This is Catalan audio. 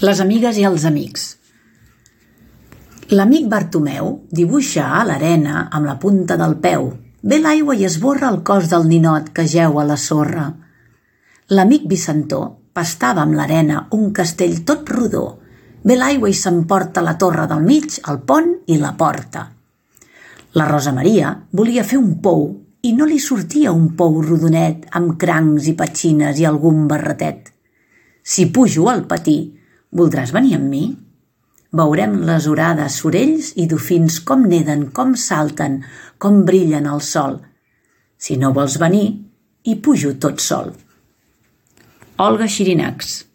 Les amigues i els amics. L'amic Bartomeu dibuixa a l'arena amb la punta del peu. Ve l'aigua i esborra el cos del ninot que jeu a la sorra. L'amic Vicentó pastava amb l'arena un castell tot rodó. Ve l'aigua i s'emporta la torre del mig, el pont i la porta. La Rosa Maria volia fer un pou i no li sortia un pou rodonet amb crancs i petxines i algun barretet. Si pujo al patí, voldràs venir amb mi? Veurem les orades sorells i dofins com neden, com salten, com brillen al sol. Si no vols venir, hi pujo tot sol. Olga Xirinacs.